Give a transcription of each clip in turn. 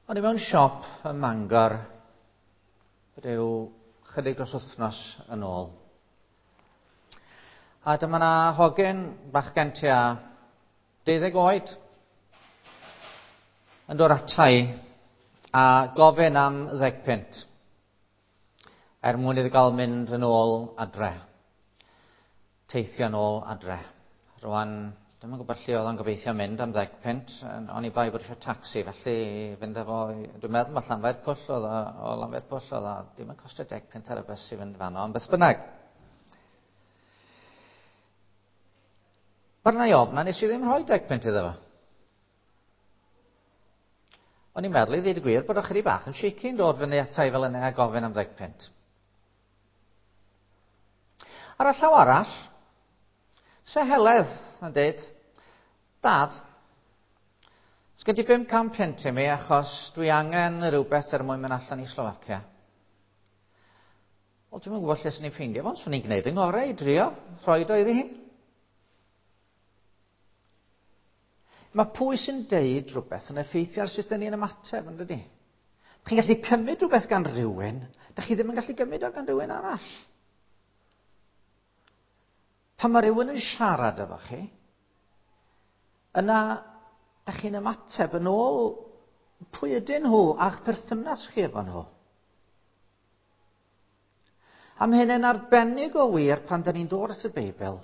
O'n i mewn siop ym Mangor rhyw chydig dros wythnos yn ôl. A dyma 'na hogyn bachgen tua 12 oed yn dod ata i a gofyn am ddeg punt er mwyn iddo gael mynd yn ôl adre. Teithio yn ôl adre. Rwan, dwi'm yn gwybod lle oedd o'n gobeithio mynd am ddeg punt, oni bai bod eisiau tacsi, felly fynd efo, dwi'n meddwl mae Llanfair Pwll oedd o, o Lanfair Pwll oedd o, dim yn costio deg punt ar y bus i fynd fanno, ond beth bynnag. Barna i ofna, nes i ddim rhoi deg punt iddo fo. O'n i'n meddwl i ddweud y gwir bod o chydig bach yn shaky yn dod fyny ata i fel yna a gofyn am ddeg punt. Ar y llaw arall, se Heledd yn dweud, Dad, sgen ti 500 punt i mi achos dwi angen rhywbeth er mwyn mynd allan i Slofacia. Wel, dwi'm yn gwybod lle swn i'n ffeindio fo, ond swn i'n gwneud yng ngorau i drio rhoi o iddi hi. Mae pwy sy'n deud rhywbeth yn effeithio ar sut dyn ni'n ymateb, yn dydy? Chi'n gallu cymryd rhywbeth gan rhywun, da chi ddim yn gallu gymryd o gan rhywun arall. Pan mae rhywun yn siarad efo chi, yna da chi'n ymateb yn ôl pwy ydyn nhw a'ch perthynas chi efo nhw. A mae hyn yn arbennig o wir pan da ni'n dod at y Beibl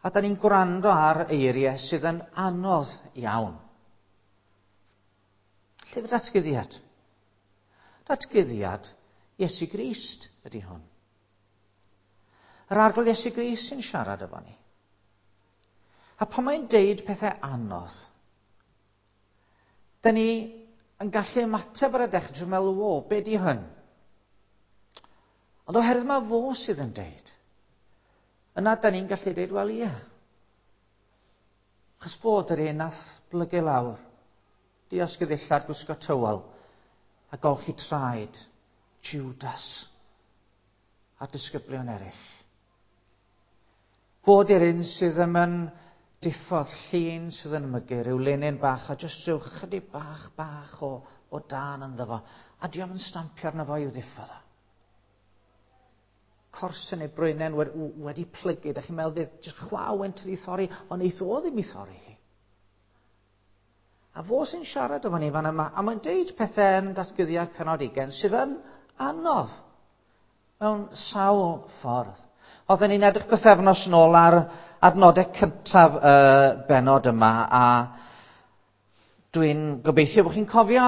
a da ni'n gwrando ar eiriau sydd yn anodd iawn. Llyfr Datguddiad. Datguddiad Iesu Grist ydy hwn. Yr Arglwydd Iesu Grist sy'n siarad efo ni. A pan mae'n deud pethau anodd, Da ni yn gallu ymateb ar y dechrau trwy meddwl, wo, be di hyn? Ond oherwydd mae fo sydd yn deud, yna da ni'n gallu deud, wel ie. Chos fod yr un nath blygu lawr, diosg y ddillad, gwisgo tywel, a golchi traed Judas a disgyblion eraill. Fod i'r un sydd ddim yn diffodd llun sydd yn mygu, rhyw linyn bach a jyst rhyw chydig bach bach o, o dan ynddo fo, a diolch yn stampio arno fo i'w ddiffodd o. Corsen neu brwynen wedi, wedi plygu, da chi'n meddwl fydd jyst chwa wynt wedi thorri, ond eith o ddim i thorri hi. A fo sy'n siarad efo ni fan yma, a mae'n deud pethau yn datguddiad penod 20 sydd yn anodd mewn sawl ffordd. Oedden ni'n edrych bythefnos yn ôl ar adnodau cyntaf y benod yma, a dwi'n gobeithio bod chi'n cofio.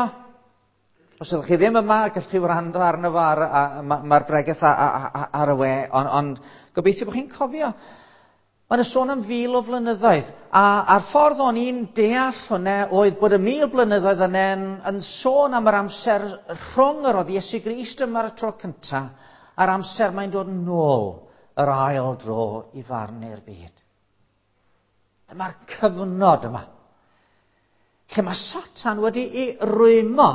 Os ydych chi ddim yma, gallwch chi wrando arno fo ar, mae'r ma bregeth ar y we, ond on, gobeithio bod chi'n cofio. Mae yna sôn am fil o flynyddoedd, a, a'r ffordd o'n i'n deall hwnna oedd bod y mil blynyddoedd yna yn, yn sôn am yr amser rhwng yr oedd Iesu Grist yma ar y tro cyntaf a'r amser mae'n dod nôl yr ail dro i farnu'r byd. Dyma'r cyfnod yma, lle mae Satan wedi'i rwymo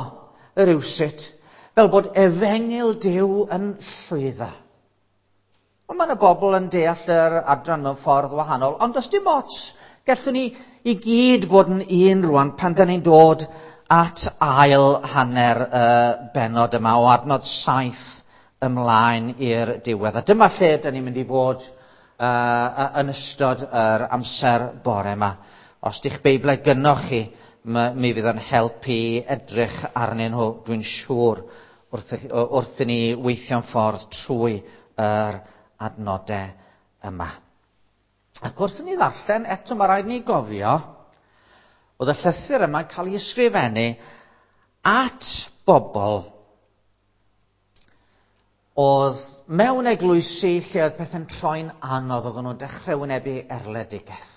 rywsut fel bod efengyl Duw yn llwyddo. Ond mae yna bobl yn deall yr adran mewn ffordd wahanol, ond does dim ots, gallwn ni i gyd fod yn un rwan pan da ni'n dod at ail hanner y benod yma o adnod 7 ymlaen i'r diwedd. A dyma lle da ni'n mynd i fod uh, yn ystod yr amser bore yma. Os di'ch Beiblau gynnoch chi, mi fydd yn helpu edrych arnyn nhw, dwi'n siŵr, wrth, wrth i ni weithio'n ffordd trwy yr adnodau yma. Ac wrth i ni ddarllen, eto mae rhaid ni gofio, oedd y llythyr yma'n cael ei ysgrifennu at bobl oedd mewn eglwysi lle oedd pethau'n troi'n anodd, oedden nhw'n dechrau wynebu erledigaeth.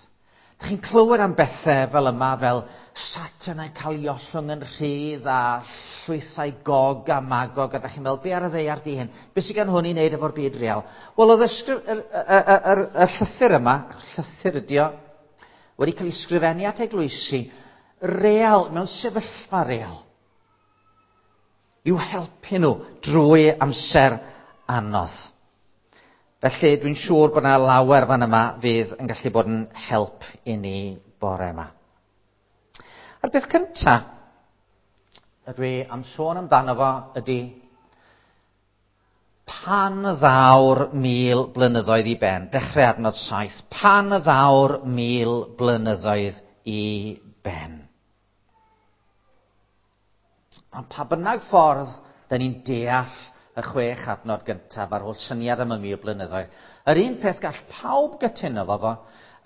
Dych chi'n clywed am bethau fel yma, fel Satan yn cael ei ollwng yn rhydd a llwythau Gog a Magog, a dych chi'n meddwl, be ar y ddaear di hyn? Be sydd gan hwn i wneud efo'r byd real? Wel, oedd y, y, y, y, y llythyr yma, llythyr ydi o, wedi cael ei sgrifennu at eglwysi real, mewn sefyllfa real, i'w helpu nhw drwy amser anodd. Felly dwi'n siŵr bod yna lawer fan yma fydd yn gallu bod yn help i ni bore yma. A'r beth cyntaf ydw i am sôn amdano fo ydy pan ddaw'r 1000 blynyddoedd i ben, dechrau adnod 7, pan ddaw'r 1000 blynyddoedd i ben. Ond pa bynnag ffordd da ni'n deall y 6 adnod gyntaf a'r holl syniad am y 1000 blynyddoedd, yr un peth gall pawb gytuno fo fo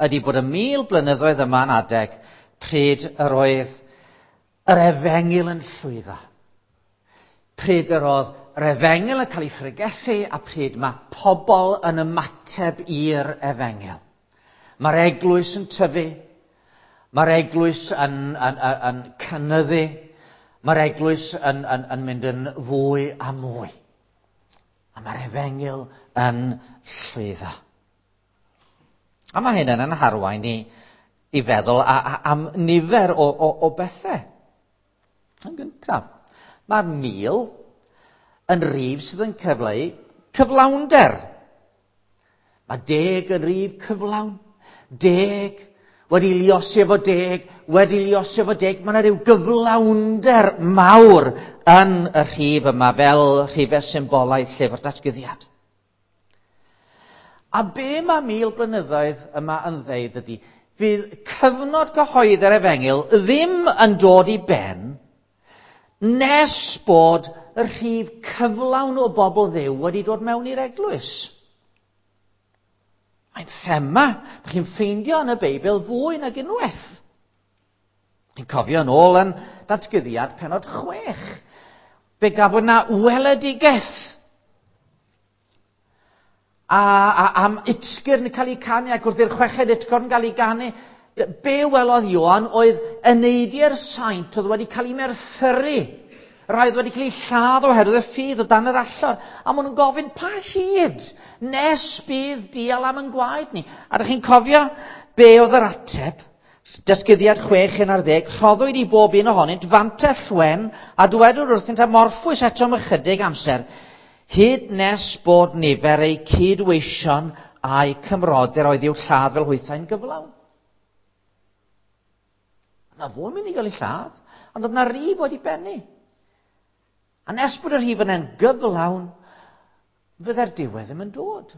ydy bod y 1000 blynyddoedd yma'n adeg pryd yr oedd yr efengyl yn llwyddo. Pryd yr oedd yr efengyl yn cael ei phregethu a pryd mae pobl yn ymateb i'r efengyl. Mae'r eglwys yn tyfu, mae'r eglwys yn cynyddu, mae'r eglwys yn mynd yn fwy a mwy. A mae'r efengyl yn llwyddo. A mae hyn yn harwain ni i feddwl am nifer o bethau. Yn gyntaf, mae'r 1000 yn rif sydd yn cyfleu cyflawnder. Mae 10 yn rif cyflawn. 10 wedi liosi efo 10, wedi liosi efo 10. Mae yna ryw gyflawnder mawr yn y rhif yma fel rhifau symbolaidd llyfr datguddiad. A be mae 1000 blynyddoedd yma yn ddeud ydy, fydd cyfnod cyhoeddi'r efengyl ddim yn dod i ben nes bod y rhif cyflawn o bobl Dduw wedi dod mewn i'r eglwys. Mae'n thema, dych chi'n ffeindio yn y Beibl fwy nag unwaith. Chi'n cofio yn ôl yn datguddiad pennod 6. Fe gafwyd na weledigaeth. A am utgyrn yn cael ei canu ac wrth i'r chweched utgorn gael ei ganu, be welodd Ioan oedd eneidiau'r saint oedd wedi cael ei merthyru. Rai oedd wedi cael ei lladd oherwydd y ffydd o dan yr allor. A maen nhw'n gofyn, pa hyd nes bydd dial am yn gwaed ni? A ydych chi'n cofio be oedd yr ateb? Datguddiad 6:11, rhoddwyd i bob un ohonynt fantell wen a dywedwyd wrthynt am orffwys eto am ychydig amser, hyd nes bod nifer eu cydweision a'u cymrodyr oedd i'w lladd fel hwythau'n gyflawn. Yna fo yn mynd i gael ei lladd, ond oedd na rif wedi bennu. A nes bod y rhif yna'n gyflawn, fydde'r diwedd ddim yn dod.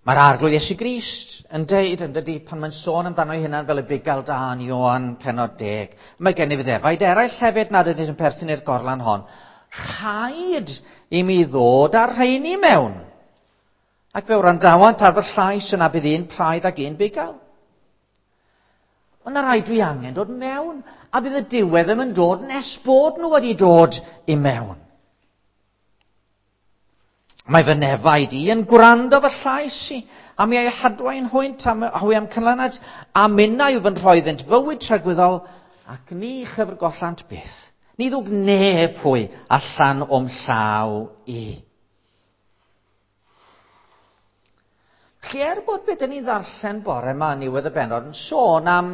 Mae'r Arglwydd Iesu Grist yn deud, yn dydi, pan mae'n sôn amdano ei hunan fel y bugail da yn Ioan pennod 10, mae gennyf ddefaid eraill hefyd nad ydynt yn perthyn i'r gorlan hon. Rhaid i mi ddod â'r rheini mewn. Ac fe wrandawant ar fy llais yna bydd un praidd ac un bugail. Ond na rhaid dwi angen dod mewn, a bydd y diwedd ddim yn dod nes bod nhw wedi dod i mewn. Mae fy nefaid i yn gwrando fy llais i, a mi ei hadwain hwynt a hwy am cynlynad, a minnau yw fy nrhoi iddynt fywyd tragwyddol, ac ni chyfrgollant byth. Ni ddwg neb hwy allan o'm llaw i. Felly er bod beth ni'n ddarllen bore yma yn niwedd y bennod yn sôn am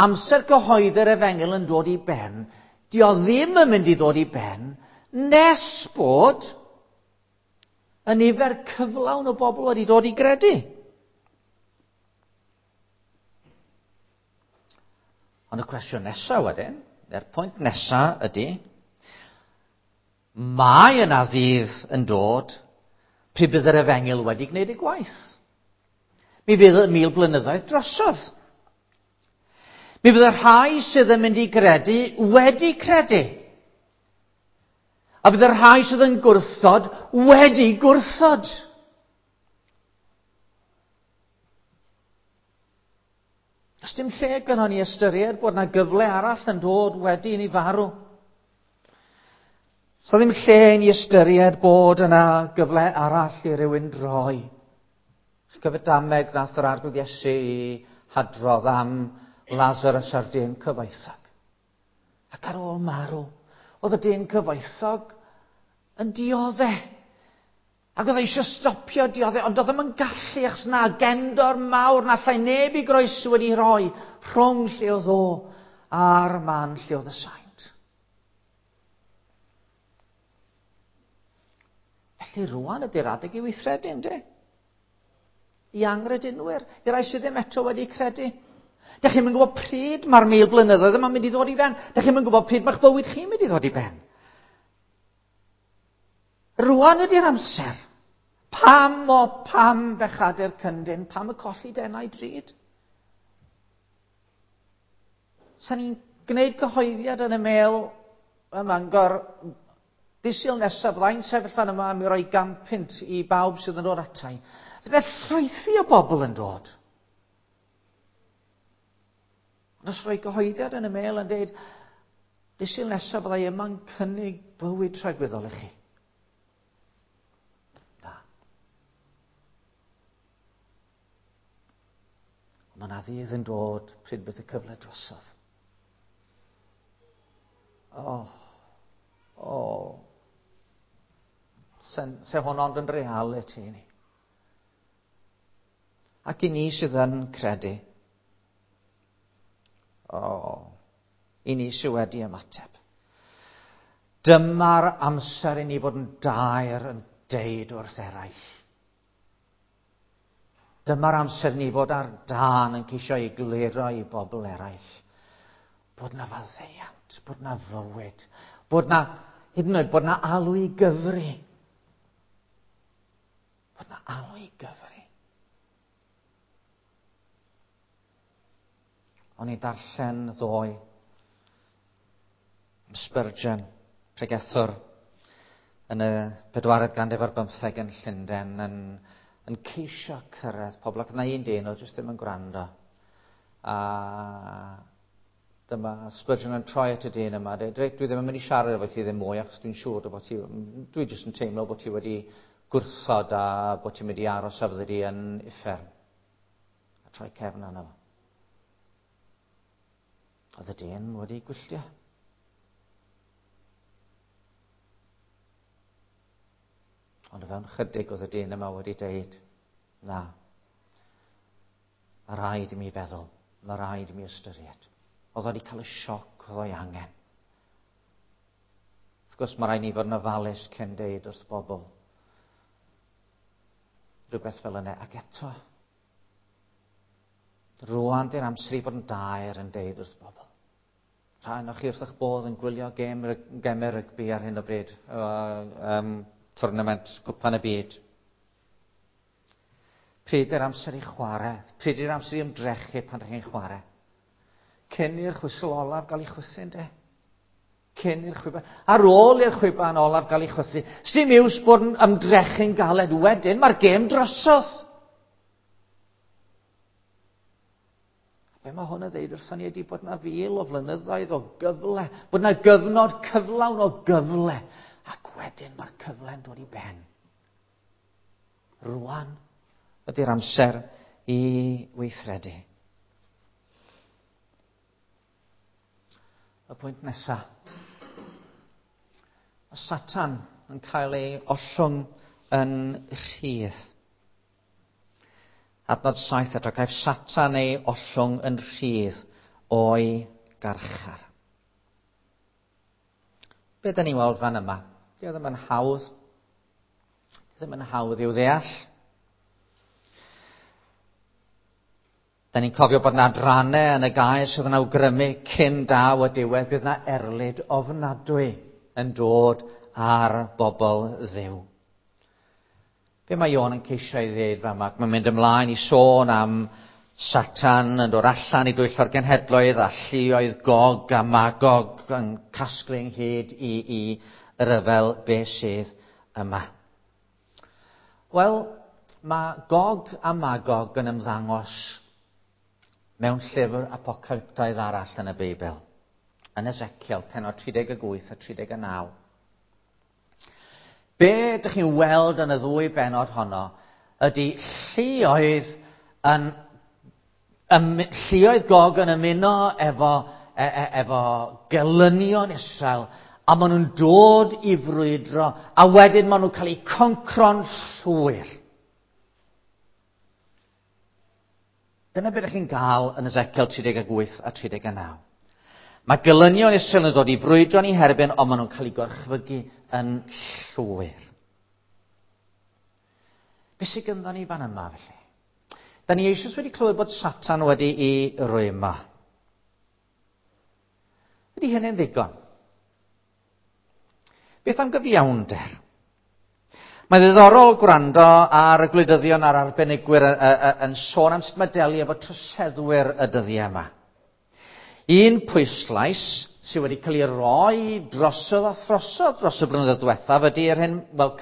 amser cyhoeddi'r efengyl yn dod i ben, di o ddim yn mynd i ddod i ben nes bod y nifer cyflawn o bobl wedi dod i gredu. Ond y cwestiwn nesaf wedyn, neu'r pwynt nesaf ydy, mae yna ddydd yn dod pryd bydd yr efengyl wedi gwneud ei gwaith. Mi fydd y 1000 blynyddoedd drosodd. Mi fydd y rhai sydd yn mynd i gredu wedi credu. A fydd y rhai sydd yn gwrthod wedi gwrthod. Does dim lle gynnon ni ystyried bod yna gyfle arall yn dod wedi i ni farw. So ddim lle i ni ystyried bod yna gyfle arall i rywun droi. Chi'n cofio dameg nath yr Arglwydd Iesu i hadrodd am Lazarus a'r dyn cyfoethog. Ac ar ôl marw, oedd y dyn cyfoethog yn diodde. Ac oedd e eisiau stopio diodde, ond oedd ddim yn gallu, achos na agendor mawr na allai neb i groeso wedi rhoi rhwng lle oedd o a'r man lle oedd y saint. Felly rwan ydy'r adeg i weithredu, ynddi? I angredinwyr, i rai sydd ddim eto wedi credu. Dych chi'n gwybod pryd mae'r 1000 blynyddoedd yma'n mynd i ddod i ben. Dych chi'n gwybod pryd mae'ch bywyd chi'n mynd i ddod i ben. Rwan ydy'r amser. Pam o pam bechadur cyndyn, pam y colli denau drud? Sa'n ni'n gwneud cyhoeddiad yn y Mail ym Mangor Dydd Sul nesaf, byddai'n sefyll fan yma am i roi 100 i bawb sydd yn dod atai. Fydde llwythi o bobl yn dod. Ond os rhoi gyhoeddiad yn y Mail yn dweud, Dydd Sul nesaf byddai yma'n cynnig bywyd tragwyddol i chi. Na. Ond mae yna ddydd yn dod pryd bydd y cyfle drosodd. O, o. Se, se hwn ond yn reality i ni. Ac i ni sydd yn credu. O, i ni sydd wedi ymateb. Dyma'r amser i ni fod yn daer yn deud wrth eraill. Dyma'r amser ni fod ar dân yn ceisio egluro i bobl eraill bod na faddeuant, bod na fywyd, bod na, hyd yn oed, bod na alw i gyfri. Bod na alw i gyfri. O'n i darllen ddoe Spurgeon, pregethwr yn y 15 ganrif ar bymtheg yn Llundain, yn ceisio cyrraedd pobl, ac yna un dyn oedd jyst ddim yn gwrando. A dyma Spurgeon yn troi at y dyn yma, dweud, reit, dwi ddim yn mynd i siarad efo ti ddim mwy, achos dwi'n siŵr bod ti, dwi jyst yn teimlo bod ti wedi gwrthod a bod ti'n mynd i aros a fyddi di yn uffern. A troi cefn arno fo. Oedd y dyn wedi gwylltio. Ond o fewn chydig oedd y dyn yma wedi deud, na, mae rhaid i mi feddwl, mae rhaid i mi ystyried. Oedd wedi cael y sioc oedd o'i angen. Wrth gwrs, mae rhaid ni fod yn ofalus cyn deud wrth bobl rhywbeth fel yna. Ac eto, rwan di'r amser i fod yn daer yn deud wrth bobl. Rhai ohonoch chi wrth eich bodd yn gwylio gêm, gemau rygbi ar hyn o bryd, tournament Cwpan y Byd. Pryd yw'r amser i chwarae? Pryd yw'r amser i ymdrechu pan ydych chi'n chwarae? Cyn i'r chwysl olaf gael ei chwythu, ynddo? Cyn i'r chwiban. Ar ôl i'r chwiban olaf gael ei chwythu. Sdim iws bod yn ymdrechu'n galed wedyn, mae'r gêm drosodd. Be mae hwn yn ddeud wrthon ni ydy bod na 1000 o flynyddoedd o gyfle, bod na gyfnod cyflawn o gyfle, ac wedyn mae'r cyfle'n dod i ben. Rwan ydy'r amser i weithredu. Y pwynt nesaf. Mae Satan yn cael ei ollwng yn rhydd. Adnod 7 eto, caiff Satan ei ollwng yn rhydd o'i garchar. Be da ni'n weld fan yma? Di o ddim yn hawdd. Di o ddim yn hawdd i'w ddeall. Da ni'n cofio bod na adrannau yn y gair sydd yn awgrymu cyn daw y diwedd bydd na erlid ofnadwy yn dod ar bobl Dduw. Be mae Ioan yn ceisio ei ddeud fa yma? Mae'n mynd ymlaen i sôn am Satan yn dod allan i dwyllo'r genhedloedd a lluoedd Gog a Magog yn casglu ynghyd i ryfel be sydd yma. Wel, mae Gog a Magog yn ymddangos mewn llyfr apocalyptaidd arall yn y Beibl, yn Ezekiel, pennod 38 a 39. Be ydych chi'n weld yn y ddwy bennod honno ydy lluoedd Gog yn ymuno efo gelynion Israel, a maen nhw'n dod i frwydro, a wedyn maen nhw'n cael eu concro'n llwyr. Dyna beth ydych chi'n gael yn Ezekiel 38 a 39. Mae gelynion Israel yn dod i frwydro ni herbyn, ond maen nhw'n cael eu gorchfygu yn llwyr. Be sydd gynddon ni fan yma, felly? Da ni eisoes wedi clywed bod Satan wedi i rwyma. Ydy hynny'n ddigon? Beth am gyfiawnder? Mae'n ddiddorol gwrando ar y gwleidyddion a'r arbenigwyr yn sôn am sut mae delio efo troseddwyr y dyddiau yma. Un pwyslais sydd wedi cael ei roi drosodd a throsodd dros y blynyddoedd diwethaf ydy'r hyn, wel,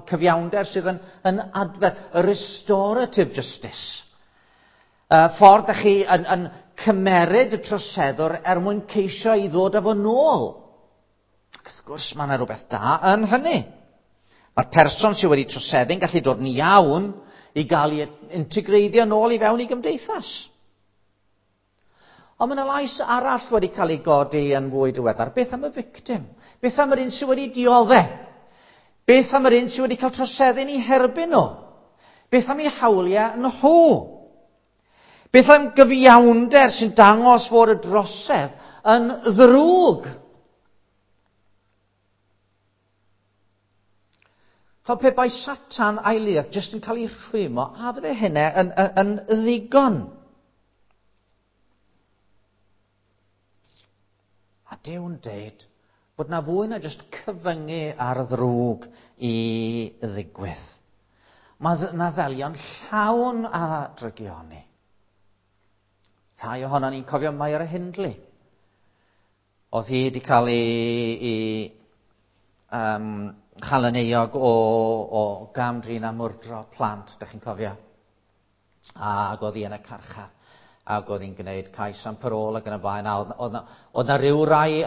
cyfiawnder sydd yn adfer, y restorative justice. Ffordd ydych chi yn cymeryd y troseddwr er mwyn ceisio i ddod â fo nôl. Ac wrth gwrs mae yna rhywbeth da yn hynny. Mae'r person sydd wedi troseddu'n gallu dod yn iawn i gael ei integreiddio nôl i fewn i gymdeithas. Ond mae yna lais arall wedi cael ei godi yn fwy diweddar. Beth am y victim? Beth am yr un sydd wedi dioddef? Beth am yr un sydd wedi cael troseddu'n ei herbyn nhw? Beth am ei hawliau nhw? Beth am gyfiawnder sy'n dangos fod y drosedd yn ddrwg? Chod, pe bai Satan a'i luoedd jyst yn cael ei rhwymo, a fydde hynny yn ddigon? A Duw'n deud bod na fwy na jyst cyfyngu ar ddrwg i ddigwydd. Mae na ddelion llawn a drygioni. Rhai ohono ni'n cofio Myra Hindley. Oedd hi wedi cael ei chael yn euog o gam-drin a mwrdro plant, dych chi'n cofio? Ac oedd hi yn y carchar. Ac oedd hi'n gwneud cais am parôl ac yn y blaen. A oedd na ryw rai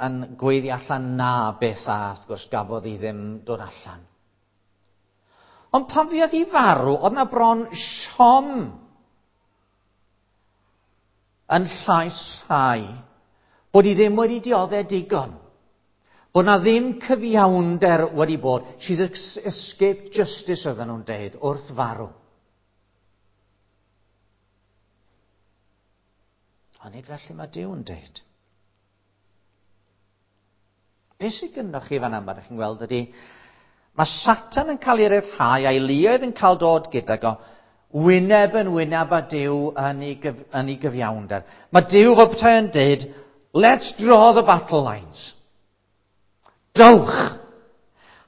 yn gweiddi allan na beth a wrth gwrs gafodd hi ddim dod allan. Ond pan fuodd hi farw, oedd na bron siom yn llais rhai bod hi ddim wedi dioddef digon. Bod na ddim cyfiawnder wedi bod. She's escaped justice, oedden nhw'n deud, wrth farw. Ond nid felly mae Duw'n deud. Be sydd gynnoch chi fan yma, ydych chi'n gweld, ydy, mae Satan yn cael ei ryddhau a'i luoedd yn cael dod gydag o wyneb yn wyneb â Duw yn ei gyfiawnder. Mae Duw fel petai yn deud, let's draw the battle lines. Dowch!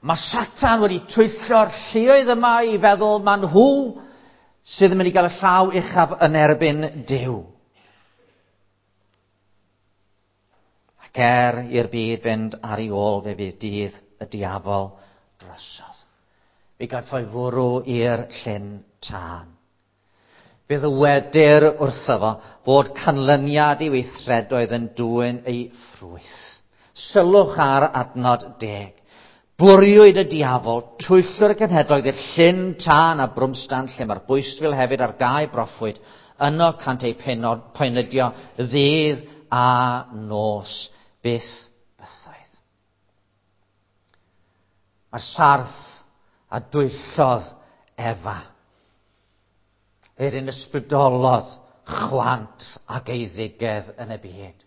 Mae Satan wedi twyllo'r lluoedd yma i feddwl ma nhw sydd yn mynd i gael y llaw uchaf yn erbyn Duw. Ac er i'r byd fynd ar ei ôl, fe fydd dydd y diafol drosodd. Fe gaiff o'i fwrw i'r llyn tân. Fe ddywedir wrtho fo fod canlyniad ei weithredoedd yn dwyn ei ffrwyth. Sylwch ar adnod 10. Bwriwyd y diafol, twyllwr y cenhedloedd i'r llyn tân a brwmstan, lle mae'r bwystfil hefyd ar gau broffwyd. Yno cant eu poenydio ddydd a nos byth bythoedd. Mae'r sarff a dwyllodd Efa. Yr un ysbrydolodd chwant ac eiddigedd yn y byd.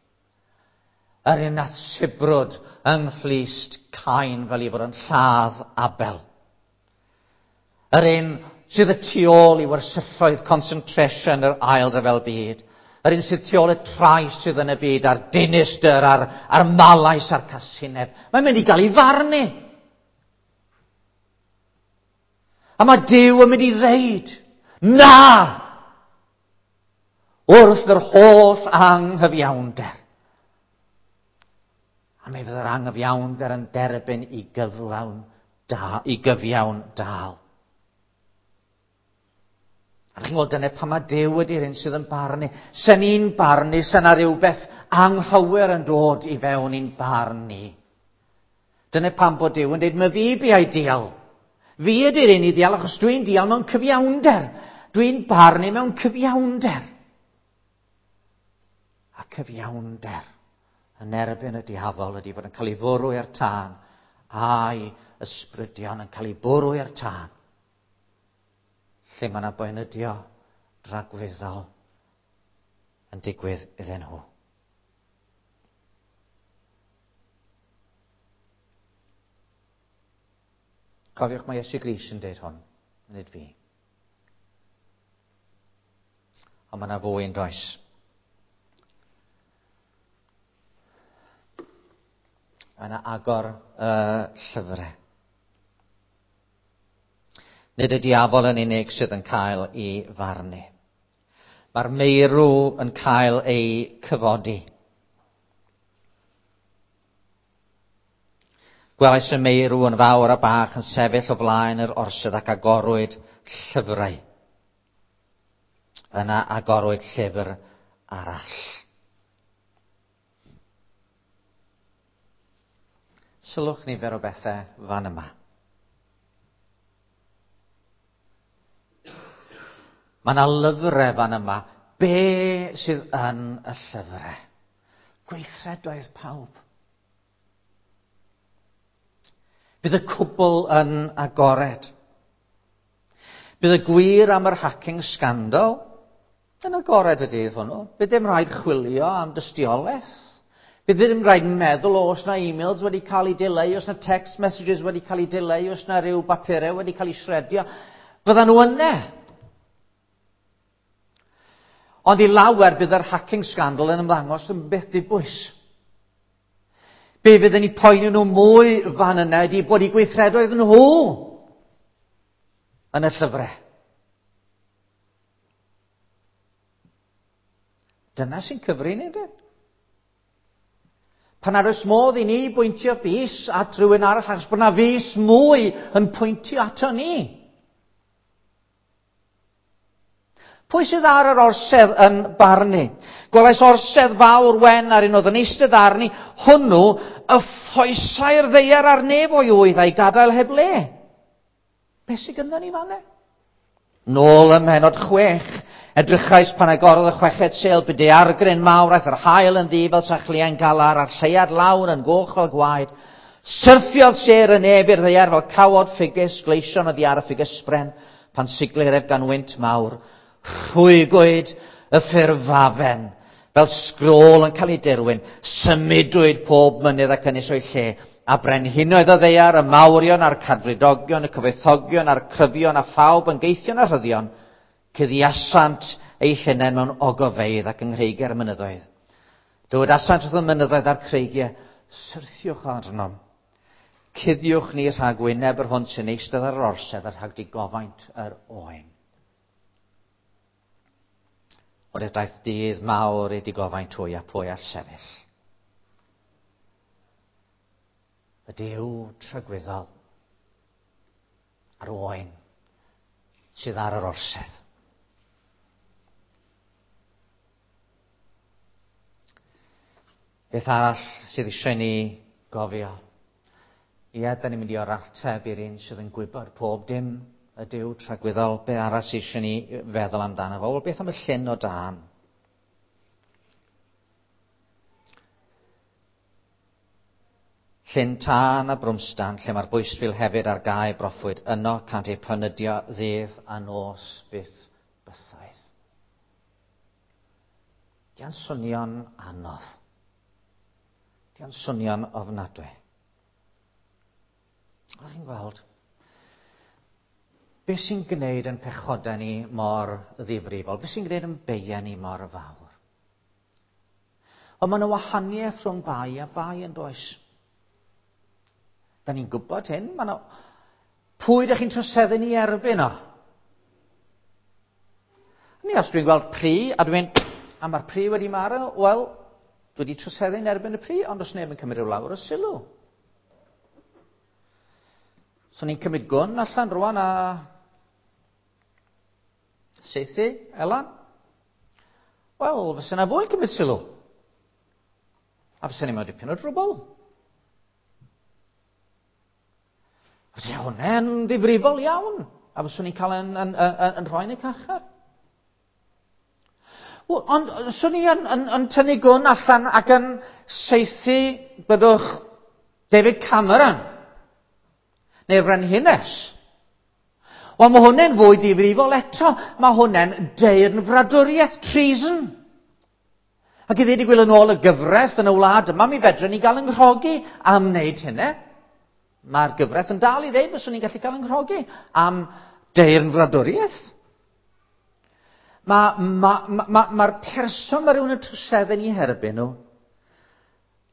Yr un nath sibrwd yng nghlust Cain fel ei fod yn lladd Abel. Yr un sydd y tu ôl i wersylloedd concentration yr ail ryfel byd. Yr un sydd tu ôl y trais sydd yn y byd, a'r dinistr, a'r malais a'r casineb. Mae'n mynd i gael ei farnu. A mae Duw yn mynd i ddeud, na! Wrth yr holl anghyfiawnder. A mi fydd yr anghyfiawnder yn derbyn i gyflawn da, i gyfiawn dal. A chi'n gweld dyna pan mae Duw ydy'r un sydd yn barnu. Se ni'n barnu, se na rhywbeth anghywir yn dod i fewn i'n barn ni. Dyna pam bod Duw yn dweud, mae fi biau dial. Fi ydy'r un i ddial, achos dwi'n dial mewn cyfiawnder. Dwi'n barnu mewn cyfiawnder. A cyfiawnder yn erbyn y diafol ydy fod yn cael ei fwrw i'r tân, a'i ysbrydion yn cael ei bwrw i'r tân. Lle mae yna boenydio dragwyddol yn digwydd iddyn nhw. Cofiwch mae Iesu Grist yn deud hwn, nid fi. Ond mae yna fwy yn does. Mae yna agor y llyfrau. Nid y diafol yn unig sydd yn cael ei farnu. Mae'r meirw yn cael ei cyfodi. Gwelais y meirw yn fawr a bach yn sefyll o flaen yr orsedd ac agorwyd llyfrau. Yna agorwyd llyfr arall. Sylwch nifer o bethau fan yma. Mae yna lyfrau fan yma. Be sydd yn y llyfrau? Gweithredoedd pawb. Bydd y cwbl yn agored. Bydd y gwir am yr hacking scandal yn agored y dydd hwnnw. Bydd dim rhaid chwilio am dystiolaeth. Bydd ddim rhaid meddwl os na e-mails wedi cael eu dileu, os na text messages wedi cael eu dileu, os na rhyw bapurau wedi cael eu shredio. Fyddan nhw yna. Ond i lawer bydd yr hacking scandal yn ymddangos yn beth dibwys. Be fydden ni poeni nhw mwy fan yna ydy bod eu gweithredoedd nhw yn y llyfrau. Dyna sy'n cyfri ni, ynddo? Pan nad oes modd i ni bwyntio bys at rhywun arall, achos bod na fys mwy yn pwyntio ato ni. Pwy sydd ar yr orsedd yn barnu? Gwelais orsedd fawr wen ar un oedd yn eistedd arni, hwnnw y ffoesai'r ddaear a'r nef o'i ŵydd a'i gadael heb le. Be sydd gyda ni fanne? Nôl ym mhennod 6, edrychais pan agorodd y chweched sêl, bu daeargryn mawr, aeth yr haul yn ddu fel sachliain galar, a'r lleuad lawr yn goch fel gwaed. Syrthiodd sêr y nef i'r ddaear fel cawod ffigys, gleision oddi ar y ffigysbren, pan siglir ef gan wynt mawr. Rhwygwyd y ffurfafen fel sgrôl yn cael ei dirwyn. Symudwyd pob mynydd ac ynys o'i lle, a brenhinoedd y ddaear, y mawrion a'r cadfridogion, y cyfoethogion a'r cryfion a phawb yn geithion a rhyddion, cuddiasant eu hunain mewn ogofeydd ac yng nghreigiau'r mynyddoedd. Dywedasant wrth y mynyddoedd a'r creigiau, syrthiwch arnom. Cuddiwch ni rhag wyneb yr hwn sy'n eistedd ar yr orsedd a rhag digofaint yr oen. O'r daeth dydd mawr i digofaint hwy a pwy all sefyll. Y Duw tragwyddol a'r oen sydd ar yr orsedd. Beth arall sydd eisiau ni gofio? Ie, da ni'n mynd i o'r ateb i'r un sydd yn gwybod pob dim, y Duw tragwyddol. Beth arall sydd eisiau ni feddwl amdano fo? Wel, beth am y llyn o dân? Llyn tân a brwmstan, lle mae'r bwystfil hefyd ar gae broffwyd, yno cant eu panydio ddydd a nos byth bythoedd. Dia'n swnio'n anodd. Dia'n swnio'n ofnadwy. Ond chi'n gweld, beth sy'n gwneud yn pechodau ni mor ddifrifol? Beth sy'n gwneud yn beiau ni mor fawr? Ond mae yna wahaniaeth rhwng bai a bai yn does? Da ni'n gwybod hyn. Mae yna... Pwy ydych chi'n troseddu ni erbyn o? Ni os dwi'n gweld plu a dwi'n... A mae'r plu wedi marw, wel, dwi wedi troseddu yn erbyn y plu, ond os neb yn cymryd rhyw lawr o sylw. So ni'n cymryd gwn allan rwan a saethu, Elan. Wel, fysa yna fwy cymryd sylw. A fysa ni mewn dipyn o drwbl. Fysa hwnna'n ddifrifol iawn. A fyswn ni'n cael yn, yn, yn, yn rhoi yn y carchar. Ond swn i yn, yn, yn tynnu gwn allan ac yn saethu, byddwch, David Cameron, neu'r Frenhines. Wel, mae hwnna'n fwy difrifol eto. Mae hwnna'n deyrnfradwriaeth, treason. Ac i ddweud y gwir yn ôl y gyfraith yn y wlad yma, mi fedrwn ni gael yng nghrogi am wneud hynny. Mae'r gyfraith yn dal i ddeud fyswn ni'n gallu cael yng nghrogi am deyrnfradwriaeth. Mae'r ma, ma, ma, ma person mae rhywun yn troseddu yn ei herbyn nhw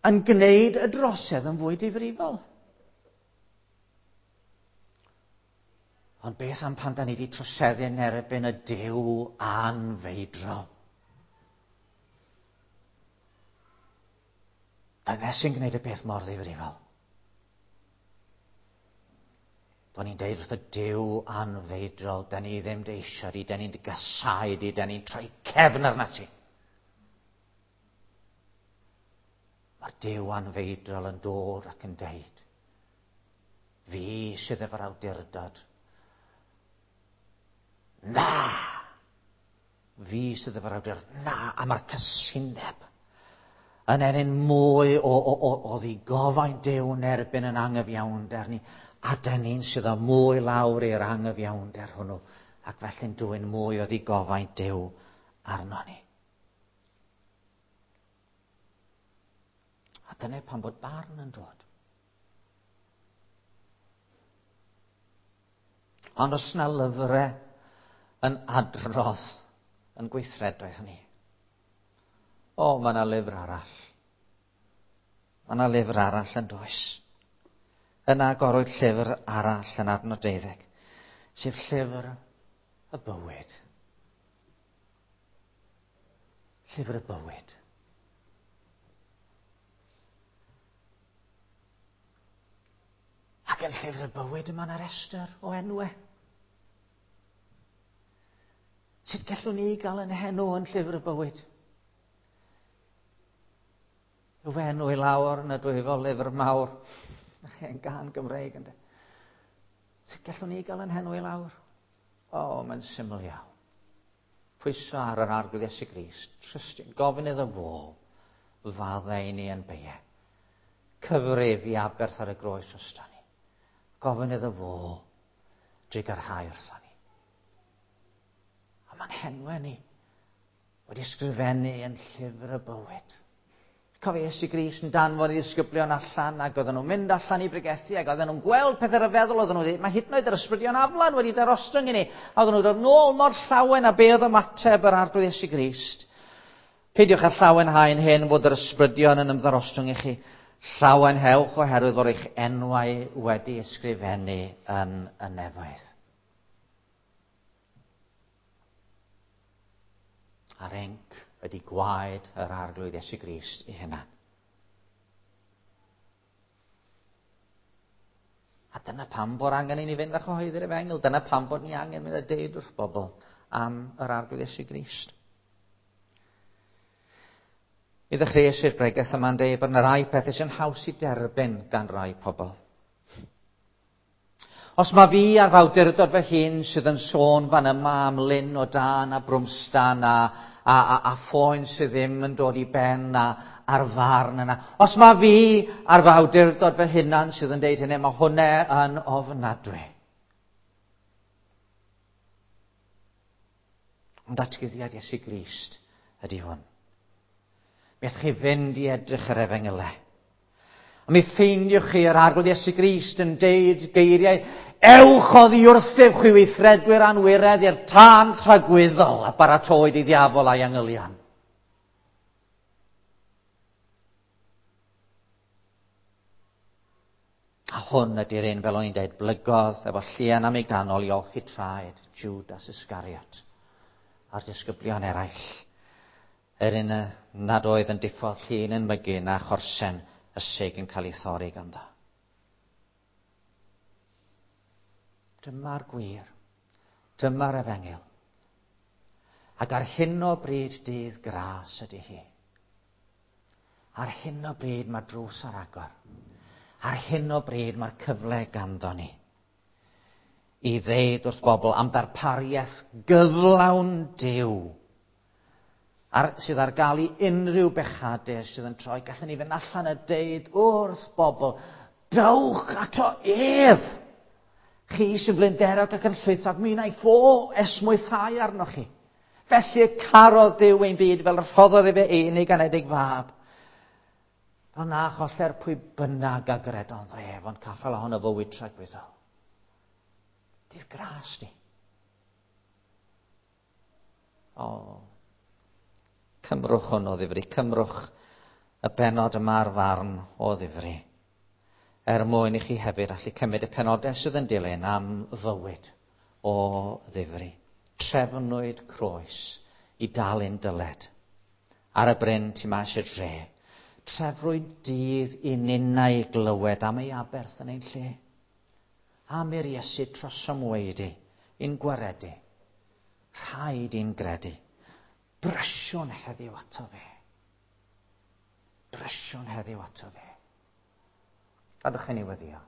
yn gwneud y drosedd yn fwy difrifol. Ond beth am pan da ni wedi troseddu yn erbyn y Duw anfeidrol? Dyna sy'n gwneud y peth mor ddifrifol. Bod ni'n deud wrth y Duw anfeidrol, da ni ddim dy eisiau di, da ni'n dy gasau di, da ni'n troi cefn arna ti. Mae'r Duw anfeidrol yn dod ac yn deud, fi sydd efo'r awdurdod. Na! Fi sydd efo'r awdurdod. Na! A mae'r casineb yn ennyn mwy o, o, o, o ddigofaint Duw yn erbyn yn angyfiawnder ni. A dyn ni'n sydd â mwy lawr i'r angyfiawnder hwnnw, ac felly'n dwyn mwy o ddigofaint Duw arno ni. A dyna pan bod barn yn dod. Ond os na lyfrau yn adrodd yn gweithredoedd ni, o, mae yna lyfr arall. Mae yna lyfr arall yn does. Yna agorwyd llyfr arall yn adnod 12, sef llyfr y bywyd. Llyfr y bywyd. Ac yn llyfr y bywyd yma yna restr o enwau. Sut gallwn ni gael yn henw yn llyfr y bywyd? Yw fy enw i lawr yn y dwyfol lyfr mawr. Hen gan Gymreig ynddo. Sut gallwn ni gael yn henw i lawr? O, oh, mae'n syml iawn. Pwyso ar yr Arglwydd Iesu Grist, trystio, gofyn iddo fo, faddau i ni yn beie. Cyfrif i aberth ar y groes drosto ni. Gofyn iddo fo, drugarhau wrtho ni. A mae'n henwe ni wedi ysgrifennu yn llyfr y bywyd. Cofio Iesu Grist yn danfon i ddisgyblion allan ac oedden nhw'n mynd allan i bregethu ac oedden nhw'n gweld pethau rhyfeddol oedden nhw wedi, mae hyd yn oed yr ysbrydion aflan wedi darostwng i ni. A oedden nhw'n dod nôl mor llawen a be oedd ymateb yr Arglwydd Iesu Grist. Peidiwch â llawenhau'n hyn fod yr ysbrydion yn ymddarostwng i chi. Llawenhewch oherwydd fod eich enwau wedi ysgrifennu yn y nefoedd. A'r enc ydy gwaed yr Arglwydd Iesu Grist ei hunan. A dyna pam bod angen i ni fynd a chyhoeddi'r efengyl. Dyna pam bod ni angen mynd a deud wrth bobl am yr Arglwydd Iesu Grist. Mi ddechreuais i'r bregeth yma'n deud bod yna rai pethau sy'n haws i derbyn gan rai pobl. Os mae fi ar fawdurdod fy hun sydd yn sôn fan yma am lyn o dân a brwmstan a, a, a, a phoen sydd ddim yn dod i ben a, a'r farn yna. Os mae fi ar fawdurdod fy hunan sydd yn deud hynny, mae hwnna yn ofnadwy. Ond datguddiad Iesu Grist ydy hwn. Mi allwch chi fynd i edrych yr efengylau. A mi ffeindiwch chi yr Arglwydd Iesu Grist yn deud geiriau, ewch oddi wrthyf chwi weithredwyr anwiredd i'r tân tragwyddol a baratoed i ddiafol a'i angylion. A hwn ydy'r un, fel o'n i'n dweud, blygodd efo llian am ei ganol i olchi traed Judas Iscariot a'r disgyblion eraill. Yr un nad oedd yn diffodd llun yn mygu na chorsen ysig yn cael ei thorri ganddo. Dyma'r gwir. Dyma'r efengyl. Ac ar hyn o bryd dydd gras ydy hi. Ar hyn o bryd mae'r drws ar agor. Ar hyn o bryd mae'r cyfle ganddo ni i ddeud wrth bobl am ddarpariaeth gyflawn Duw ar, sydd ar gael i unrhyw bechadur sydd yn troi. Gallwn ni fynd allan a deud wrth bobl, dewch ato ef! Chi sy'n flinderog ac yn llwythog, mi wnaeth o esmwythau arnoch chi. Felly y carodd Duw ein byd fel y rhoddodd efe ei unig anedig fab. Fel na choller pwy bynnag a gredodd ef, ond caffael ohono fywyd tragwyddol. Dydd gras ni. O, cymrwch hwn o ddifri, cymrwch y benod yma ar farn o ddifri, er mwyn i chi hefyd allu cymryd y penodau sydd yn dilyn am fywyd o ddifri. Trefnwyd croes i dalu'n dyled. Ar y bryn tu mas i'r dre. Trefrwyd dydd i ninnau glywed am ei aberth yn ein lle. Am i'r Iesu trosom weidi, i'n gwaredu. Rhaid i'n gredu. Brysiwn heddiw ato fe. Brysiwn heddiw ato fe. Gadwch i ni weddio.